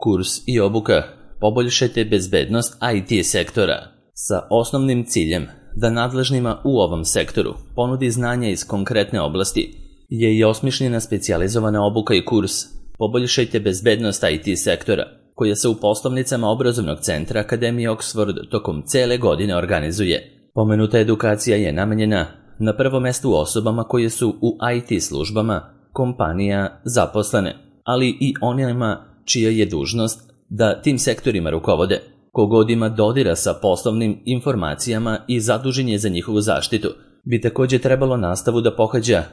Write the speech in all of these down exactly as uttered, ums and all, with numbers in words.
Kurs i obuka Poboljšajte bezbednost I T sektora sa osnovnim ciljem da nadležnima u ovom sektoru ponudi znanja iz konkretne oblasti je i osmišljena specijalizovana obuka i kurs Poboljšajte bezbednost I T sektora, koja se u poslovnicama obrazovnog centra Akademije Oxford tokom cele godine organizuje. Pomenuta edukacija je namenjena na prvom mestu osobama koje su u I T službama kompanija zaposlene, ali i onima čija je dužnost da tim sektorima rukovode. Kogod ima dodira sa poslovnim informacijama i zadužen je za njihovu zaštitu, bi također trebalo nastavu da pohađa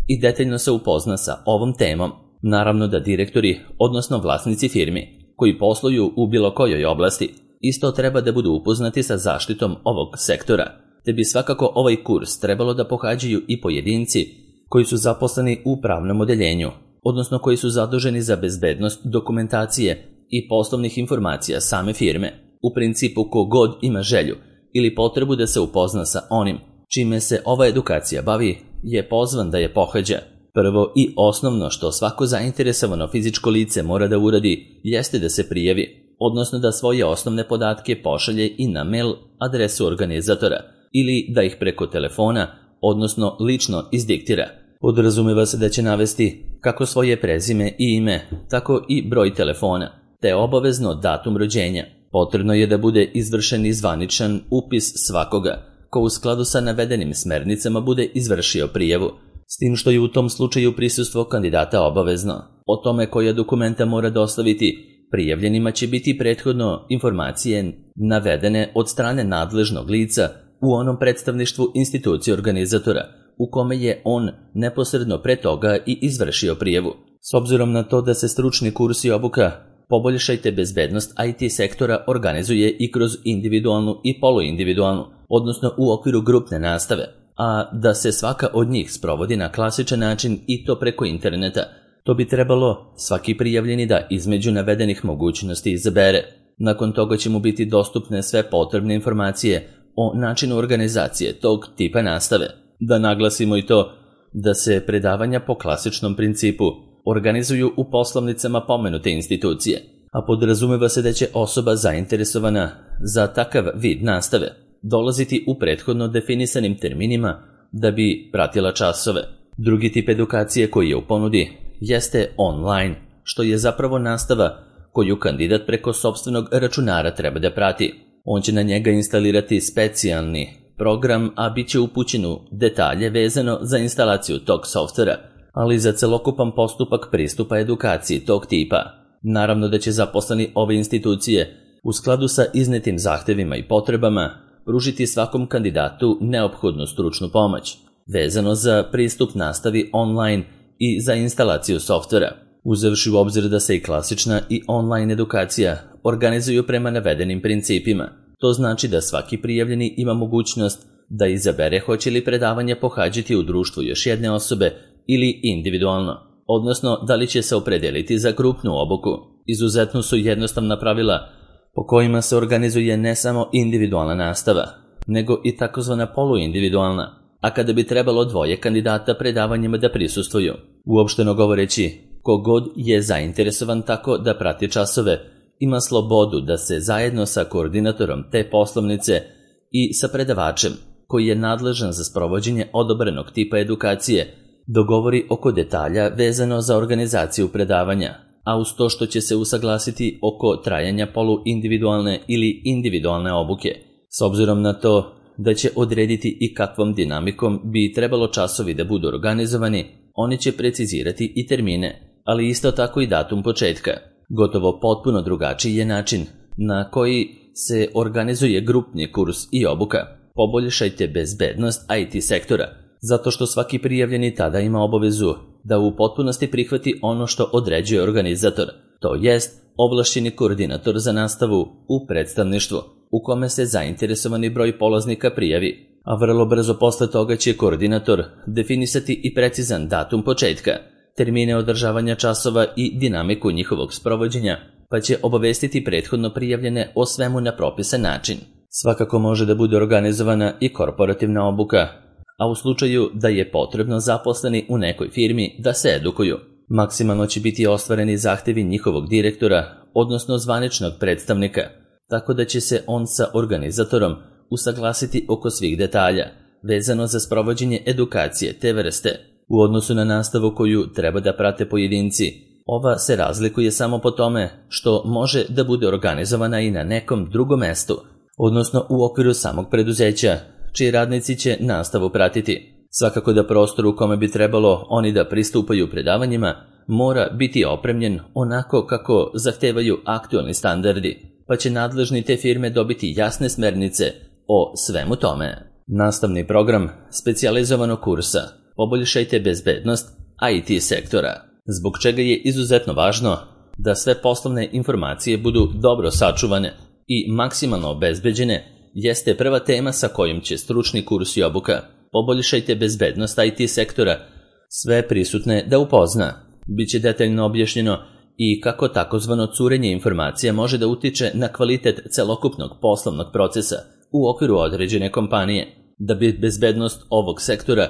i detaljno se upozna sa ovom temom. Naravno da direktori, odnosno vlasnici firmi, koji posluju u bilo kojoj oblasti, isto treba da budu upoznati sa zaštitom ovog sektora, te bi svakako ovaj kurs trebalo da pohađaju i pojedinci koji su zaposleni u pravnom odeljenju, odnosno koji su zaduženi za bezbednost dokumentacije i poslovnih informacija same firme. U principu, kogod ima želju ili potrebu da se upozna sa onim čime se ova edukacija bavi, je pozvan da je pohađa. Prvo i osnovno što svako zainteresovano fizičko lice mora da uradi jeste da se prijavi, odnosno da svoje osnovne podatke pošalje i na mail adresu organizatora ili da ih preko telefona, odnosno lično izdiktira. Podrazumeva se da će navesti kako svoje prezime i ime, tako i broj telefona, te obavezno datum rođenja. Potrebno je da bude izvršen i zvaničan upis svakoga ko u skladu sa navedenim smernicama bude izvršio prijavu, s tim što je u tom slučaju prisustvo kandidata obavezno. O tome koja dokumenta mora dostaviti prijavljenima će biti prethodno informacije navedene od strane nadležnog lica u onom predstavništvu institucije organizatora u kome je on neposredno pre toga i izvršio prijavu. S obzirom na to da se stručni kurs i obuka Poboljšajte bezbednost I T sektora organizuje i kroz individualnu i poluindividualnu, odnosno u okviru grupne nastave, a da se svaka od njih sprovodi na klasičan način i to preko interneta, to bi trebalo svaki prijavljeni da između navedenih mogućnosti izabere. Nakon toga će mu biti dostupne sve potrebne informacije o načinu organizacije tog tipa nastave. Da naglasimo i to da se predavanja po klasičnom principu organizuju u poslovnicama pomenute institucije, a podrazumeva se da će osoba zainteresovana za takav vid nastave dolaziti u prethodno definisanim terminima da bi pratila časove. Drugi tip edukacije koji je u ponudi jeste online, što je zapravo nastava koju kandidat preko sopstvenog računara treba da prati. On će na njega instalirati specijalni program, a bit će upućen u detalje vezano za instalaciju tog softvera, ali i za celokupan postupak pristupa edukaciji tog tipa. Naravno da će zaposleni ove institucije u skladu sa iznetim zahtevima i potrebama pružiti svakom kandidatu neophodnu stručnu pomoć, vezano za pristup nastavi online i za instalaciju softvera, uzevši u obzir da se i klasična i online edukacija organizuju prema navedenim principima. To znači da svaki prijavljeni ima mogućnost da izabere hoće li predavanje pohađati u društvu još jedne osobe ili individualno, odnosno da li će se opredeliti za grupnu obuku. Izuzetno su jednostavna pravila po kojima se organizuje ne samo individualna nastava, nego i takozvana poluindividualna, a kada bi trebalo dvoje kandidata predavanjima da prisustvuju. Uopšteno govoreći, kogod je zainteresovan tako da prati časove, ima slobodu da se zajedno sa koordinatorom te poslovnice i sa predavačem, koji je nadležan za sprovođenje odobrenog tipa edukacije, dogovori oko detalja vezano za organizaciju predavanja, a uz to što će se usaglasiti oko trajanja poluindividualne ili individualne obuke. S obzirom na to da će odrediti i kakvom dinamikom bi trebalo časovi da budu organizovani, oni će precizirati i termine, ali isto tako i datum početka. Gotovo potpuno drugačiji je način na koji se organizuje grupni kurs i obuka Poboljšajte bezbednost I T sektora, zato što svaki prijavljeni tada ima obavezu da u potpunosti prihvati ono što određuje organizator, to jest ovlašćeni koordinator za nastavu u predstavništvu, u kome se zainteresovani broj polaznika prijavi, a vrlo brzo posle toga će koordinator definisati i precizan datum početka, termine održavanja časova i dinamiku njihovog sprovođenja, pa će obavestiti prethodno prijavljene o svemu na propisan način. Svakako može da bude organizovana i korporativna obuka, a u slučaju da je potrebno zaposleni u nekoj firmi da se edukuju, Maksimalno će biti ostvareni zahtevi njihovog direktora, odnosno zvaničnog predstavnika, tako da će se on sa organizatorom usaglasiti oko svih detalja, vezano za sprovođenje edukacije te vrste. U odnosu na nastavu koju treba da prate pojedinci, ova se razlikuje samo po tome što može da bude organizovana i na nekom drugom mestu, odnosno u okviru samog preduzeća, čiji radnici će nastavu pratiti. Svakako da prostor u kome bi trebalo oni da pristupaju predavanjima mora biti opremljen onako kako zahtevaju aktualni standardi, pa će nadležni te firme dobiti jasne smernice o svemu tome. Nastavni program specijalizovanog kursa Poboljšajte bezbednost I T sektora, zbog čega je izuzetno važno da sve poslovne informacije budu dobro sačuvane i maksimalno obezbeđene, jeste prva tema sa kojom će stručni kurs i obuka Poboljšajte bezbednost I T sektora sve prisutne da upozna. Biće detaljno objašnjeno i kako takozvano curenje informacija može da utiče na kvalitet celokupnog poslovnog procesa u okviru određene kompanije. Da bi bezbednost ovog sektora,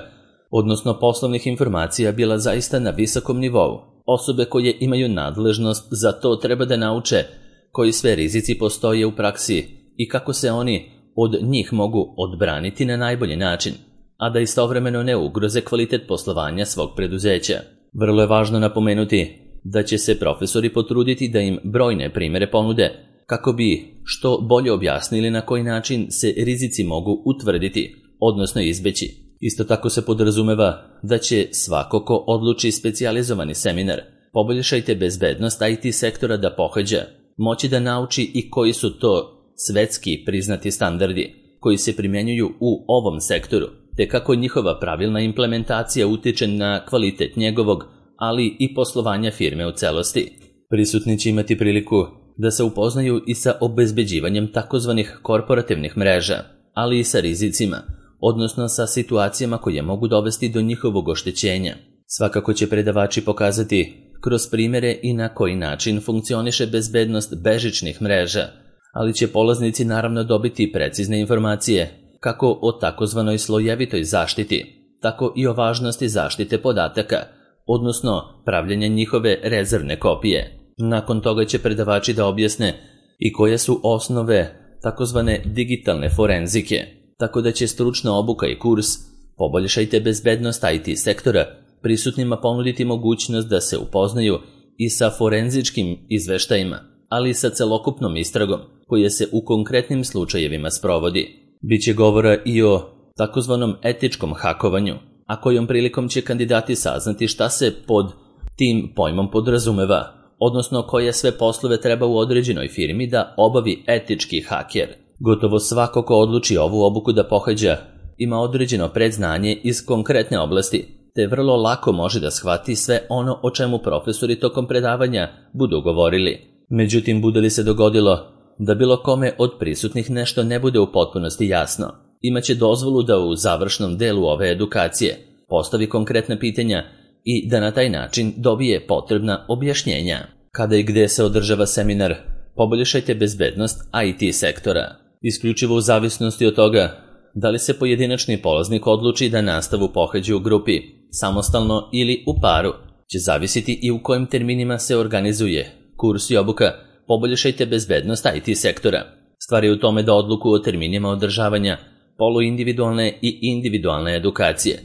odnosno poslovnih informacija, bila zaista na visokom nivou, osobe koje imaju nadležnost za to treba da nauče koji sve rizici postoje u praksi i kako se oni od njih mogu odbraniti na najbolji način, a da istovremeno ne ugroze kvalitet poslovanja svog preduzeća. Vrlo je važno napomenuti da će se profesori potruditi da im brojne primere ponude kako bi što bolje objasnili na koji način se rizici mogu utvrditi, odnosno izbeći. Isto tako se podrazumeva da će svako ko odluči specijalizovani seminar Poboljšajte bezbednost I T sektora da pohađa, moći da nauči i koji su to svetski priznati standardi koji se primjenjuju u ovom sektoru, te kako njihova pravilna implementacija utiče na kvalitet njegovog, ali i poslovanja firme u celosti. Prisutni će imati priliku da se upoznaju i sa obezbeđivanjem takozvanih korporativnih mreža, ali i sa rizicima, odnosno sa situacijama koje mogu dovesti do njihovog oštećenja. Svakako će predavači pokazati kroz primere i na koji način funkcioniše bezbednost bežičnih mreža, ali će polaznici naravno dobiti precizne informacije kako o takozvanoj slojevitoj zaštiti, tako i o važnosti zaštite podataka, odnosno pravljenja njihove rezervne kopije. Nakon toga će predavači da objasne i koje su osnove takozvane digitalne forenzike, tako da će stručna obuka i kurs Poboljšajte bezbednost I T sektora prisutnima ponuditi mogućnost da se upoznaju i sa forenzičkim izveštajima, ali i sa celokupnom istragom koja se u konkretnim slučajevima sprovodi. Biće govora i o takozvanom etičkom hakovanju, a kojom prilikom će kandidati saznati šta se pod tim pojmom podrazumeva, odnosno koje sve poslove treba u određenoj firmi da obavi etički haker. Gotovo svako ko odluči ovu obuku da pohađa ima određeno predznanje iz konkretne oblasti, te vrlo lako može da shvati sve ono o čemu profesori tokom predavanja budu govorili. Međutim, bude li se dogodilo da bilo kome od prisutnih nešto ne bude u potpunosti jasno, imaće dozvolu da u završnom delu ove edukacije postavi konkretna pitanja i da na taj način dobije potrebna objašnjenja. Kada i gde se održava seminar Poboljšajte bezbednost I T sektora? Isključivo u zavisnosti od toga da li se pojedinačni polaznik odluči da nastavu pohađa u grupi, samostalno ili u paru, će zavisiti i u kojim terminima se organizuje kurs i obuka Poboljšajte bezbednost I T sektora. Stvar je u tome da odluku o terminima održavanja poluindividualne i individualne edukacije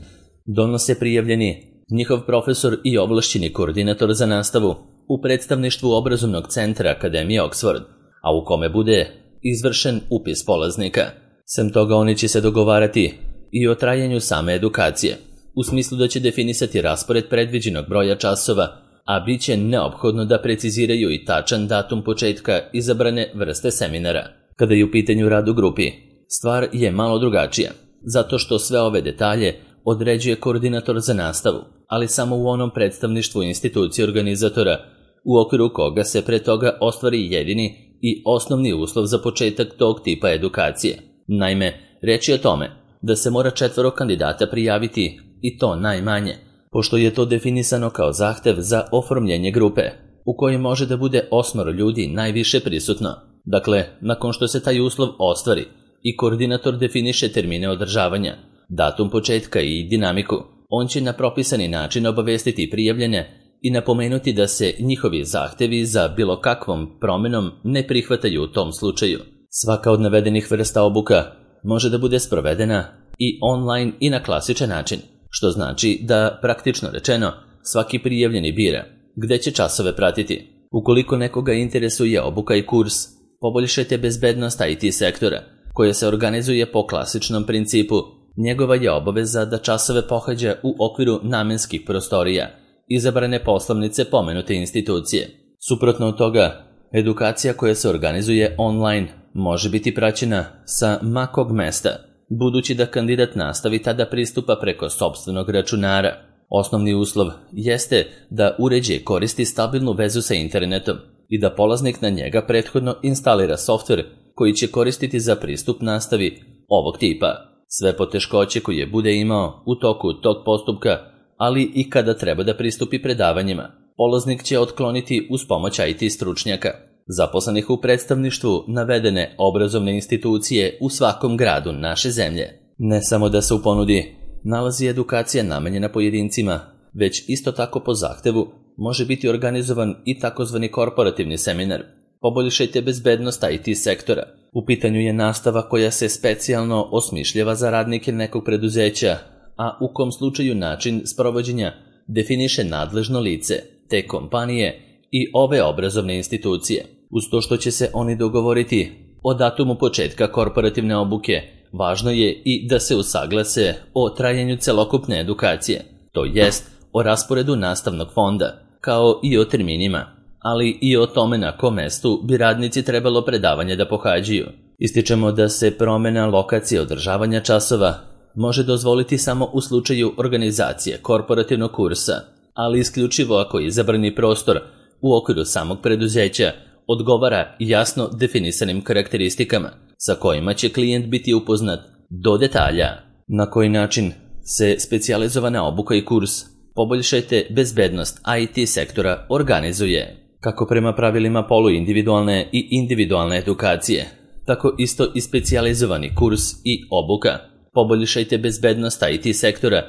donose prijavljeni, njihov profesor i ovlašćeni koordinator za nastavu u predstavništvu obrazovnog centra Akademije Oxford, a u kome bude izvršen upis polaznika. Sem toga oni će se dogovarati i o trajanju same edukacije, u smislu da će definisati raspored predviđenog broja časova, a bit će neophodno da preciziraju i tačan datum početka izabrane vrste seminara. Kada je u pitanju rad u grupi, stvar je malo drugačija, zato što sve ove detalje određuje koordinator za nastavu, ali samo u onom predstavništvu institucije organizatora, u okviru koga se pre toga ostvari jedini i osnovni uslov za početak tog tipa edukacije. Naime, reč je o tome da se mora četvoro kandidata prijaviti, i to najmanje, pošto je to definisano kao zahtev za oformljenje grupe, u kojoj može da bude osmoro ljudi najviše prisutno. Dakle, nakon što se taj uslov ostvari i koordinator definiše termine održavanja, datum početka i dinamiku, on će na propisani način obavestiti prijavljene i napomenuti da se njihovi zahtevi za bilo kakvom promenom ne prihvataju u tom slučaju. Svaka od navedenih vrsta obuka može da bude sprovedena i online i na klasičan način, što znači da, praktično rečeno, svaki prijavljeni bira gde će časove pratiti. Ukoliko nekoga interesuje obuka i kurs Poboljšajte bezbednost I T sektora, koja se organizuje po klasičnom principu, njegova je obaveza da časove pohađa u okviru namenskih prostorija, izabrane poslovnice pomenute institucije. Suprotno od toga, edukacija koja se organizuje online može biti praćena sa ma kog mesta, budući da kandidat nastavi tada pristupa preko sopstvenog računara. Osnovni uslov jeste da uređaj koristi stabilnu vezu sa internetom i da polaznik na njega prethodno instalira softver koji će koristiti za pristup nastavi ovog tipa. Sve poteškoće koje bude imao u toku tog postupka, ali i kada treba da pristupi predavanjima, polaznik će otkloniti uz pomoć I T stručnjaka, zaposlenih u predstavništvu navedene obrazovne institucije u svakom gradu naše zemlje. Ne samo da se u ponudi nalazi edukacija namenjena pojedincima, već isto tako po zahtevu može biti organizovan i takozvani korporativni seminar. Poboljšajte bezbednost I T sektora. U pitanju je nastava koja se specijalno osmišljava za radnike nekog preduzeća, a u kom slučaju način sprovođenja definiše nadležno lice te kompanije i ove obrazovne institucije. Uz to što će se oni dogovoriti o datumu početka korporativne obuke, važno je i da se usaglase o trajanju celokupne edukacije, to jest o rasporedu nastavnog fonda, kao i o terminima, ali i o tome na kom mestu bi radnici trebalo predavanje da pohađaju. Ističemo da se promena lokacije održavanja časova može dozvoliti samo u slučaju organizacije korporativnog kursa, ali isključivo ako izabrani prostor u okviru samog preduzeća odgovara jasno definisanim karakteristikama sa kojima će klijent biti upoznat do detalja. Na koji način se specijalizovana obuka i kurs Poboljšajte bezbednost I T sektora organizuje? Kako prema pravilima poluindividualne i individualne edukacije, tako isto i specijalizovani kurs i obuka Poboljšajte bezbednost I T sektora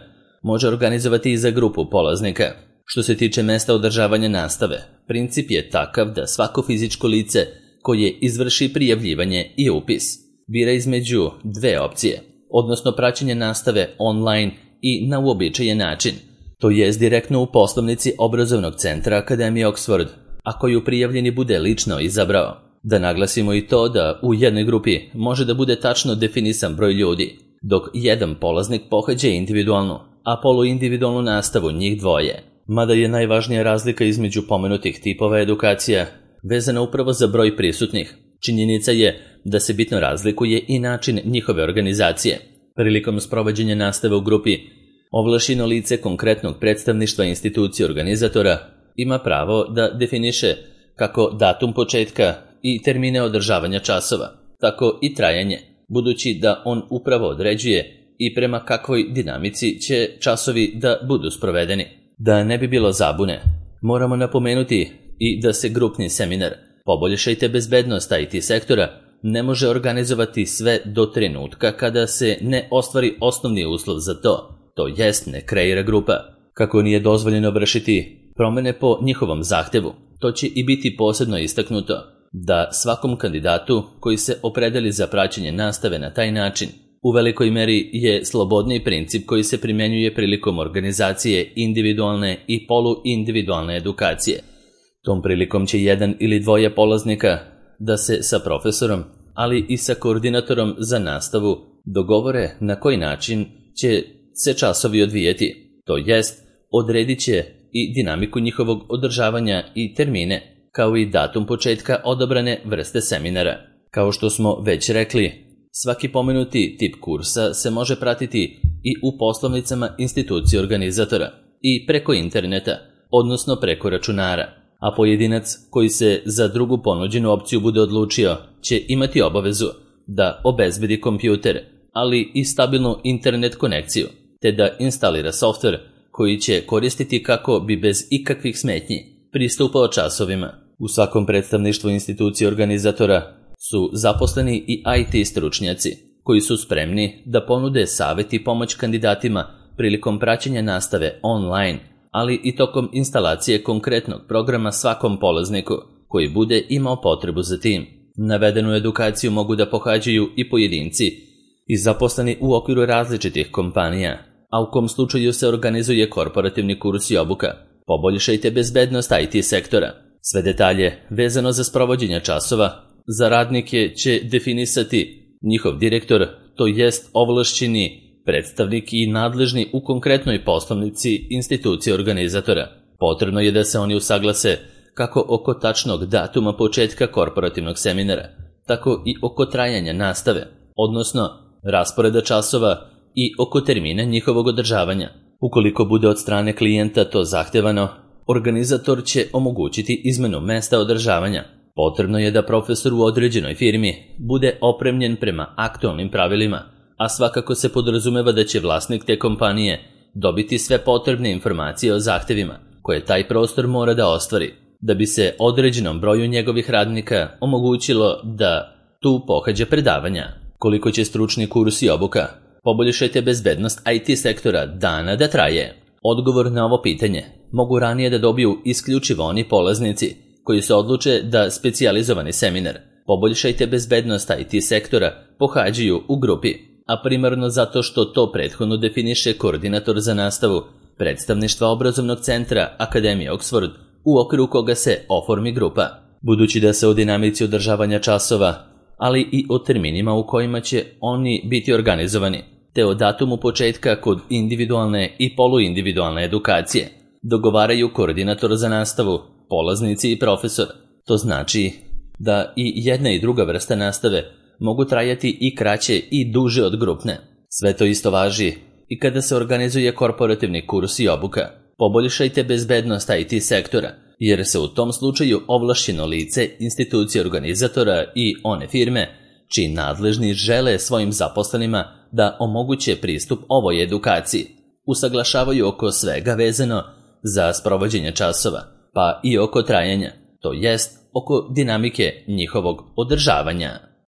može organizovati i za grupu polaznika. Što se tiče mesta održavanja nastave, princip je takav da svako fizičko lice koje izvrši prijavljivanje i upis bira između dve opcije, odnosno praćenje nastave online i na uobičajen način, to jest direktno u poslovnici obrazovnog centra Akademije Oxford, a koju prijavljeni bude lično izabrao. Da naglasimo i to da u jednoj grupi može da bude tačno definisan broj ljudi, dok jedan polaznik pohađa individualnu, a poluindividualnu nastavu njih dvoje. Mada je najvažnija razlika između pomenutih tipova edukacija vezana upravo za broj prisutnih. Činjenica je da se bitno razlikuje i način njihove organizacije. Prilikom sprovođenja nastave u grupi, ovlašćeno lice konkretnog predstavništva institucije organizatora ima pravo da definiše kako datum početka i termine održavanja časova, tako i trajanje, budući da on upravo određuje i prema kakvoj dinamici će časovi da budu sprovedeni. Da ne bi bilo zabune, moramo napomenuti i da se grupni seminar Poboljšajte bezbednost I T sektora ne može organizovati sve do trenutka kada se ne ostvari osnovni uslov za to, to jest ne kreira grupa. Kako nije dozvoljeno vršiti promene po njihovom zahtevu, to će i biti posebno istaknuto da svakom kandidatu koji se opredeli za praćenje nastave na taj način u velikoj meri je slobodni princip koji se primjenjuje prilikom organizacije individualne i poluindividualne edukacije. Tom prilikom će jedan ili dvoje polaznika da se sa profesorom, ali i sa koordinatorom za nastavu dogovore na koji način će se časovi odvijeti, to jest odredit će i dinamiku njihovog održavanja i termine, kao i datum početka odabrane vrste seminara. Kao što smo već rekli, svaki pomenuti tip kursa se može pratiti i u poslovnicama institucije organizatora i preko interneta, odnosno preko računara, a pojedinac koji se za drugu ponuđenu opciju bude odlučio će imati obavezu da obezbedi kompjuter, ali i stabilnu internet konekciju, te da instalira softver koji će koristiti kako bi bez ikakvih smetnji pristupao časovima. U svakom predstavništvu institucije organizatora su zaposleni i I T stručnjaci koji su spremni da ponude savjet i pomoć kandidatima prilikom praćenja nastave online, ali i tokom instalacije konkretnog programa svakom polazniku koji bude imao potrebu za tim. Navedenu edukaciju mogu da pohađaju i pojedinci i zaposleni u okviru različitih kompanija, a u kom slučaju se organizuje korporativni kurs i obuka. Poboljšajte bezbednost I T sektora. Sve detalje vezano za sprovođenje časova za radnike će definisati njihov direktor, to jest ovlašćeni predstavnik i nadležni u konkretnoj poslovnici institucije organizatora. Potrebno je da se oni usaglase kako oko tačnog datuma početka korporativnog seminara, tako i oko trajanja nastave, odnosno rasporeda časova i oko termina njihovog održavanja. Ukoliko bude od strane klijenta to zahtevano, organizator će omogućiti izmenu mesta održavanja. Potrebno je da profesor u određenoj firmi bude opremljen prema aktualnim pravilima, a svakako se podrazumeva da će vlasnik te kompanije dobiti sve potrebne informacije o zahtevima koje taj prostor mora da ostvari, da bi se određenom broju njegovih radnika omogućilo da tu pohađa predavanja. Koliko će stručni kurs i obuka poboljšajte bezbednost I T sektora dana da traje? Odgovor na ovo pitanje mogu ranije da dobiju isključivo oni polaznici koji se odluče da specijalizovani seminar Poboljšajte bezbednost I T sektora pohađaju u grupi, a primarno zato što to prethodno definiše koordinator za nastavu predstavništva obrazovnog centra Akademije Oxford, u okviru koga se oformi grupa. Budući da se o dinamici održavanja časova, ali i o terminima u kojima će oni biti organizovani, te o datumu početka kod individualne i poluindividualne edukacije, dogovaraju koordinator za nastavu, polaznici i profesor. To znači da i jedna i druga vrsta nastave mogu trajati i kraće i duže od grupne. Sve to isto važi i kada se organizuje korporativni kurs i obuka. Poboljšajte bezbednost I T sektora, jer se u tom slučaju ovlašćeno lice institucije organizatora i one firme čiji nadležni žele svojim zaposlenima da omoguće pristup ovoj edukaciji, usaglašavaju oko svega vezano za sprovođenje časova, pa i oko trajanja, to jest oko dinamike njihovog održavanja.